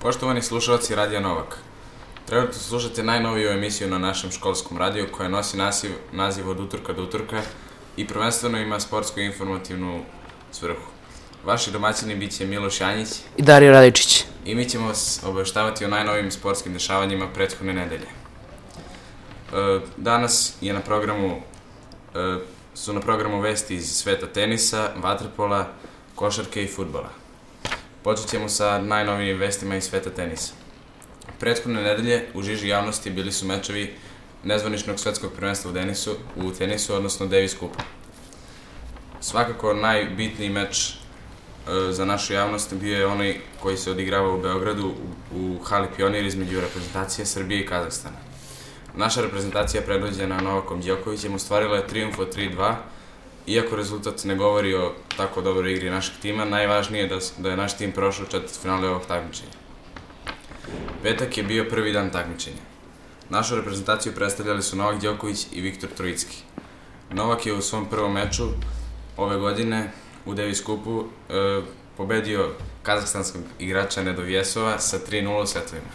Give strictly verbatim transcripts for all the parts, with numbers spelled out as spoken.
Poštovani slušalci Radija Novak, trenutno slušate najnoviju emisiju na našem školskom radiju koja nosi naziv, naziv od utorka do utorka i prvenstveno ima sportsku i informativnu svrhu. Vaši domaćini bit će Miloš Janjić i Dario Radičić. I mi ćemo vas obaveštavati o najnovijim sportskim dešavanjima prethodne nedelje. Danas je na programu, su na programu vesti iz sveta tenisa, vaterpola, košarke i fudbala. Počet ćemo sa najnovijim vestima iz sveta tenisa. Prethodne nedelje u žiži javnosti bili su mečevi nezvaničnog svetskog prvenstva u tenisu, u tenisu, odnosno Davis Cupa. Svakako najbitniji meč e, za našu javnost bio je onaj koji se odigrava u Beogradu u, u hali Pionir između reprezentacije Srbije i Kazahstana. Naša reprezentacija predvođena Novakom Đokovićem ostvarila je trijumf od tri dva. Iako rezultat ne govori o tako dobroj igri našeg tima, najvažnije je da, da je naš tim prošao četvrtfinale ovog takmičenja. Petak je bio prvi dan takmičenja. Našu reprezentaciju predstavljali su Novak Đoković i Viktor Trojicki. Novak je u svom prvom meču ove godine u Davis Cupu e, pobedio kazahstanskog igrača Nedovjesova sa tri nula setovima.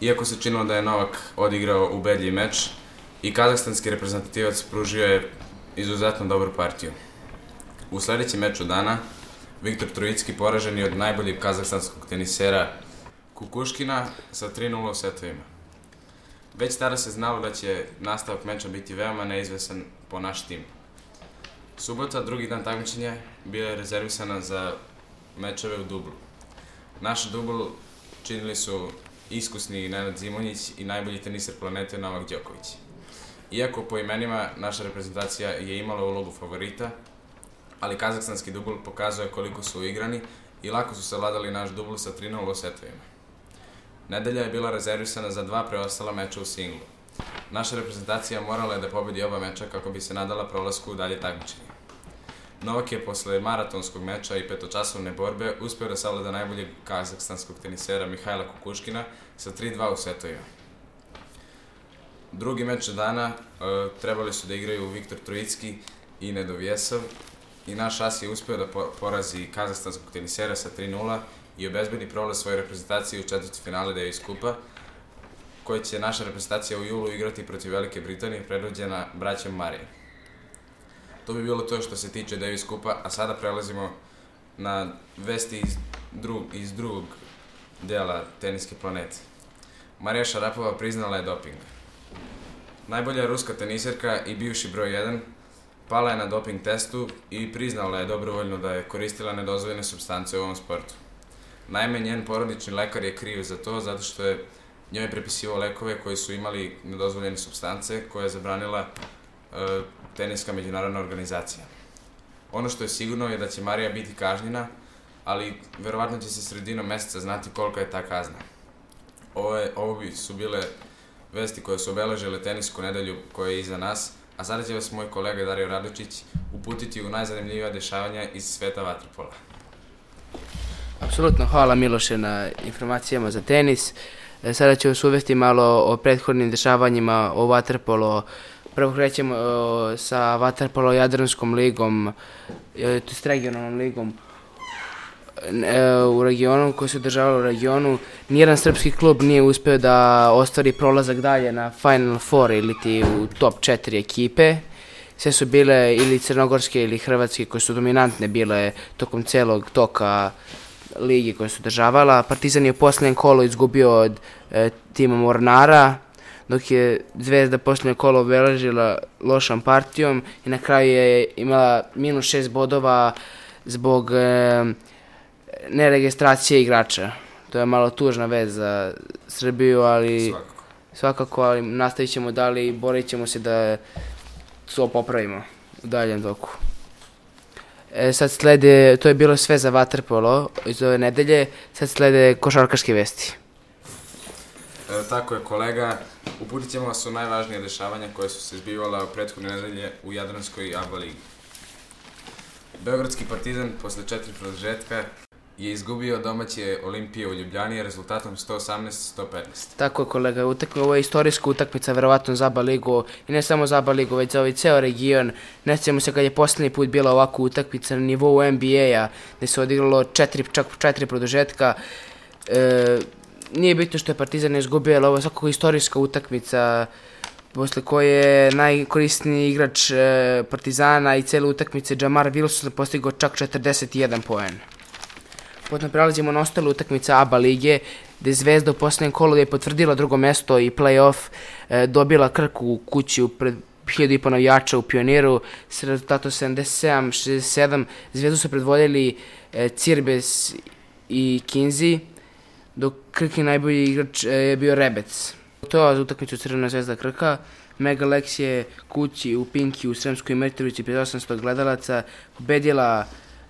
Iako se činilo da je Novak odigrao ubedljiv meč, i kazahstanski reprezentativac pružio je izuzetno dobru partiju. U sledećem meču dana, Viktor Trojicki poražen je od najboljeg kazahstanskog tenisera Kukuškina sa tri nula u setovima. Već tada se znalo da će nastavak meča biti veoma neizvesan po naš tim. Subota, drugi dan takmičenja, bila je rezervisana za mečeve u dublu. Naš dubl činili su iskusni Nenad Zimonjić i najbolji teniser planete Novak Đoković. Iako po imenima naša reprezentacija je imala ulogu favorita, ali kazahstanski dubl pokazuje koliko su uigrani i lako su savladali naš dubl sa tri nula u setovima. Nedelja je bila rezervisana za dva preostala meča u singlu. Naša reprezentacija morala je da pobedi oba meča kako bi se nadala prolasku u dalje takmičenje. Novak je posle maratonskog meča i petočasovne borbe uspeo da savlada najboljeg kazahstanskog tenisera Mihajla Kukuškina sa tri dva u setovima. Drugi meč dana e, trebali su da igraju Viktor Trojicki i Nedovjesov i naš as je uspeo da porazi kazahstanskog tenisera sa tri nula i obezbedi prolaz svoje reprezentacije u četvrtfinale Davis Cupa, koji će naša reprezentacija u julu igrati protiv Velike Britanije predvođena braćom Marije. To bi bilo to što se tiče Davis Cupa, a sada prelazimo na vesti iz, drug, iz drugog dela teniske planete. Marija Šarapova priznala je doping. Najbolja ruska teniserka i bivši broj jedan pala je na doping testu i priznala je dobrovoljno da je koristila nedozvoljene supstance u ovom sportu. Naime, njen porodični lekar je kriv za to zato što je njoj prepisivao lekove koji su imali nedozvoljene supstance koje je zabranila e, teniska međunarodna organizacija. Ono što je sigurno je da će Marija biti kažnjena, ali verovatno će se sredinom meseca znati kolika je ta kazna. Ovo, je, ovo bi su bile vesti koje su obeležile tenisku nedelju koja je iza nas, a sada će vas moj kolega Dario Radičić uputiti u najzanimljivija dešavanja iz sveta vaterpola. Apsolutno, hvala Miloše na informacijama za tenis. Sada ću vas uvesti malo o prethodnim dešavanjima o vaterpolu. Prvo krećemo sa vaterpolo Jadranskom ligom, to je s regionalnom ligom u regionu, koji se održavalo u regionu. Nijedan srpski klub nije uspeo da ostvari prolazak dalje na Final Four ili ti u top četiri ekipe. Sve su bile ili crnogorske ili hrvatske koje su dominantne bile tokom celog toka ligi koja se održavala. Partizan je u posljednjem kolu izgubio od e, tima Mornara, dok je Zvezda posljednje kolo obeležila lošom partijom i na kraju je imala minus šest bodova zbog e, neregistracije igrača. To je malo tužna vez za Srbiju, ali Svakako. svakako ali nastavit ćemo dalje i borit ćemo se da to popravimo u daljem toku. E, sad slede, to je bilo sve za vaterpolo iz ove nedelje, sad slede košarkaške vesti. E, tako je, kolega. Uputit ćemo vas u najvažnije dešavanja koje su se zbivala u prethodne nedelje u Jadranskoj A B A ligi. Beogradski Partizan posle četiri produžetka je izgubio domaće Olimpije u Ljubljani rezultatom sto osamnaest sto petnaest. Tako je, kolega, utakmica, ovo je istorijska utakmica verovatno za A B A ligu i ne samo za A B A ligu, već za ovaj ceo region. Ne sjećamo se kad je poslednji put bila ovakva utakmica na nivou N B A-a, gde se odigralo četiri, čak četiri produžetka. E, nije bitno što je Partizan izgubio, ali ovo je svakako istorijska utakmica posle koje je najkorisniji igrač e, Partizana i cele utakmice Jamar Wilson postigao čak četrdeset jedan poen. Potom prelazimo na ostale utakmice A B A lige, gde je Zvezda u posljednjem kolu je potvrdila drugo mesto i play-off, e, dobila Krku u kući pred hiljadu i po navijača u Pioniru s rezultatom sedamdeset sedam šezdeset sedam. Zvezdu su predvodili e, Cirbes i Kinzi, dok Krkin najbolji igrač e, je bio Rebec. To je za utakmicu Crvena Zvezda Krka. Mega Lex je kući u Pinki u Sremskoj Mitrovici pred osamsto gledalaca pobedila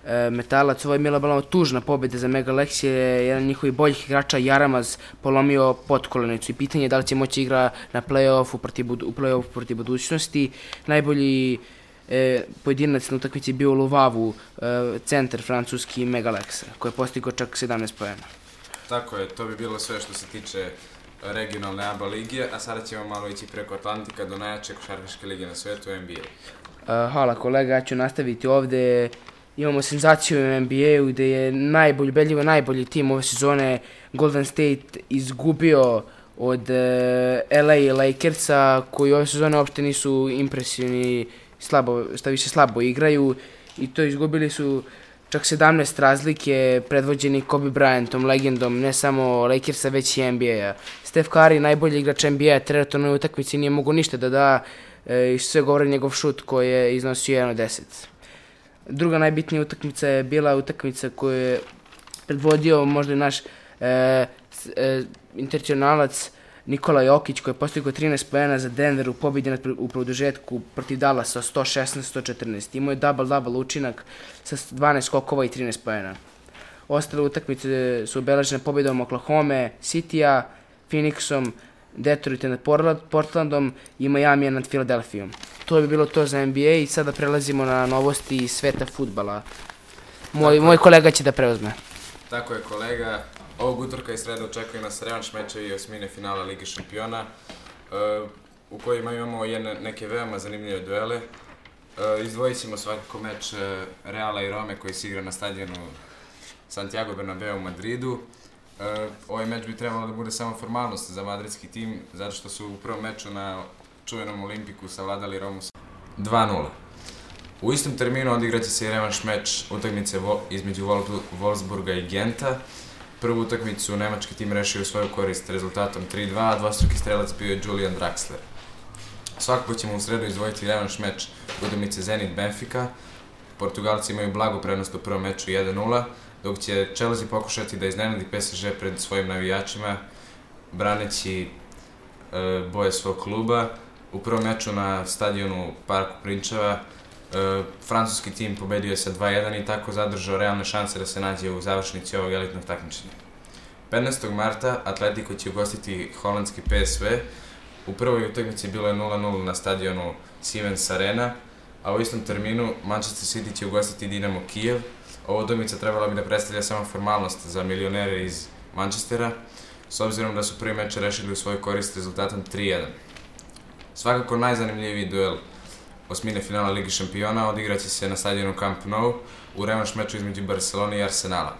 e, Metalac. Ovo je bila bila tužna pobjeda za Mega Lex, je jedan od njihovih boljih igrača Jaramaz polomio potkolenicu i pitanje je da li će moći igra na play-offu protiv, u play-offu protiv budućnosti. Najbolji e, pojedinac na utakmici je bio u Luvavu, e, centar francuski Mega Lexa, koji je postigao čak sedamnaest poena. Tako je, to bi bilo sve što se tiče regionalne A B A lige, a sada ćemo malo ići preko Atlantika do najjače košarkaške lige na svetu, N B A. Uh, hvala kolega, ja ću nastaviti ovde. Imamo senzaciju u N B A-u gde je najbolji, ubedljivo najbolji tim ove sezone Golden State izgubio od uh, L A Lakersa, koji ove sezone uopšte nisu impresivni, slabo, šta više slabo igraju, i to izgubili su čak sedamnaest razlike, predvođeni Kobe Bryantom, legendom ne samo Lakersa, već i N B A-a. Steph Curry, najbolji igrač N B A-a, trenutno na utakmici nije mogo ništa da da, e, i sve govori njegov šut koji je iznosio jedan od deset. Druga najbitnija utakmica je bila utakmica koju je predvodio možda i naš e, e, internacionalac Nikola Jokić, koji je postigao trinaest poena za Denver u pobjedi u produžetku protiv Dallasa sto šesnaest sto četrnaest. Imao je double-double učinak sa dvanaest skokova i trinaest poena. Ostale utakmice su obeležene pobjedom Oklahoma City-a, Phoenixom, Detroita nad Portlandom i Miami nad Filadelfijom. To bi bilo to za N B A i sada prelazimo na novosti iz sveta fudbala. Moj, moj kolega će da preuzme. Tako je kolega. Ovog utorka i sreda očekuje nas revanš mečevi i osmine finala Lige šampiona, uh, u kojima imamo jedne, neke veoma zanimljive duele. Uh, izdvojit ćemo svakako meč uh, Reala i Rome koji se igra na stadionu Santiago Bernabeu u Madridu. Uh, ovaj meč bi trebalo da bude samo formalnost za madridski tim, zato što su u prvom meču na čuvenom Olimpiku savladali Romu dva nula. U istom terminu odigraće se i revanš meč utakmice vo, između Wolfsburga i Genta. Prvu utakmicu nemački tim rešio u svoju korist rezultatom tri dva, a dvostruki strelac bio je Julian Draxler. Svakako ćemo u sredu izdvojiti revanš meč utakmice Zenit Benfica. Portugalci imaju blagu prednost u prvom meču jedan nula, dok će Chelsea pokušati da iznenadi P S G pred svojim navijačima, braneći e, boje svog kluba. U prvom meču na stadionu Parku Prinčeva e, francuski tim pobedio je sa dva jedan i tako zadržao realne šanse da se nađe u završnici ovog elitnog takmičenja. petnaestog marta Atletico će ugostiti holandski P S V. U prvoj utakmici bilo je nula nula na stadionu Siemens Arena, a u istom terminu Manchester City će ugostiti Dinamo Kijev. Ova utakmica trebala bi da predstavlja samo formalnost za milionere iz Manchestera, s obzirom da su prvi meč rešili u svoj korist rezultatom tri jedan. Svakako najzanimljiviji duel osmine finala Ligi šampiona odigraće se na stadionu Camp Nou u revanš meču između Barcelone i Arsenala.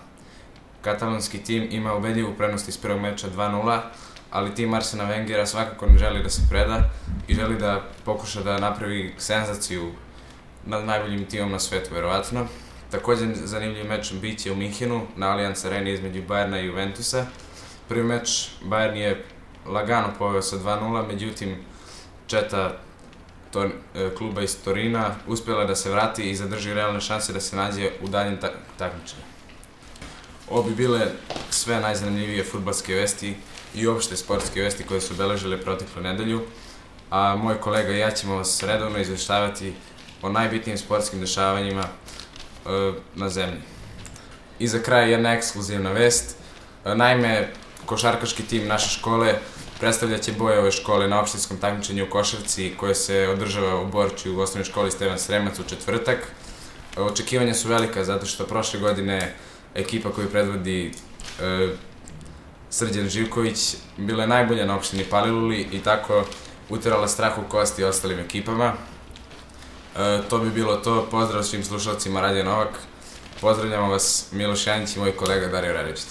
Katalonski tim ima ubedljivu prednost iz prvog meča dva nula, ali tim Arsena Wengera svakako ne želi da se preda i želi da pokuša da napravi senzaciju nad najboljim timom na svetu, verovatno. Također zanimljiv meč biće u Minhenu na Allianz Areni između Bayerna i Juventusa. Prvi meč Bayern je lagano poveo sa dva nula, međutim četa to, e, kluba iz Torina uspjela da se vrati i zadrži realne šanse da se nađe u daljem ta takmičenju. Ovo bi bile sve najzanimljivije fudbalske vesti i uopšte sportske vesti koje su obeležile proteklu nedelju, a moj kolega i ja ćemo vas redovno izveštavati o najbitnijim sportskim dešavanjima e, na zemlji. I za kraj jedna ekskluzivna vest. E, naime, košarkaški tim naše škole predstavljat će boje ove škole na opštinskom takmičenju u košarci koje se održava u Borči u osnovnoj školi Stevan Sremac u četvrtak. E, očekivanja su velika zato što prošle godine ekipa koju predvodi e, Srđan Živković bila je najbolja na opštini Paliluli i tako uterala strah u kosti ostalim ekipama. E, to bi bilo to. Pozdrav svim slušalcima Radio Novak. Pozdravljamo vas Miloš Janić i moj kolega Dario Radičić.